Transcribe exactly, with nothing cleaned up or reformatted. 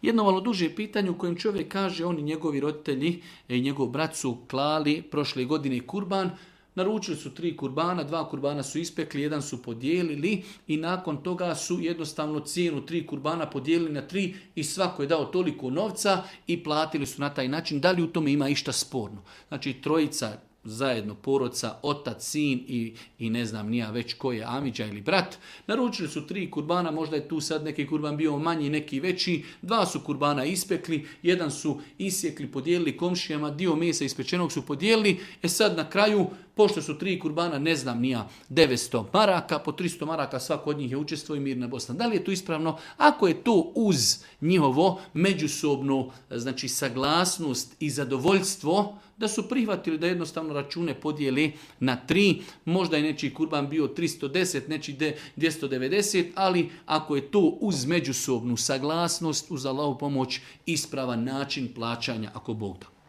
Jedno malo duže pitanje u kojem čovjek kaže oni njegovi roditelji i njegov brat su klali prošle godine kurban, naručili su tri kurbana, dva kurbana su ispekli, jedan su podijelili i nakon toga su jednostavno cijenu tri kurbana podijelili na tri i svako je dao toliko novca i platili su na taj način. Da li u tome ima išta sporno? Znači trojica zajedno, porodca, otac, sin i, i ne znam nija već ko je amidža ili brat. Naručili su tri kurbana, možda je tu sad neki kurban bio manji, neki veći. Dva su kurbana ispekli, jedan su isjekli, podijelili komšijama, dio mesa ispečenog su podijelili. E sad na kraju, pošto su tri kurbana, ne znam nija, devetsto maraka, po tristo maraka svako od njih je učestvovao i mirna Bosna. Da li je to ispravno? Ako je to uz njihovo međusobnu, znači saglasnost i zadovoljstvo, da su prihvatili da jednostavno račune podijeli na tri, možda je nečiji kurban bio tristo deset, nečiji dvjesto devedeset, ali ako je to uz međusobnu saglasnost, uz Allahovu pomoć, ispravan način plaćanja, ako Bog da.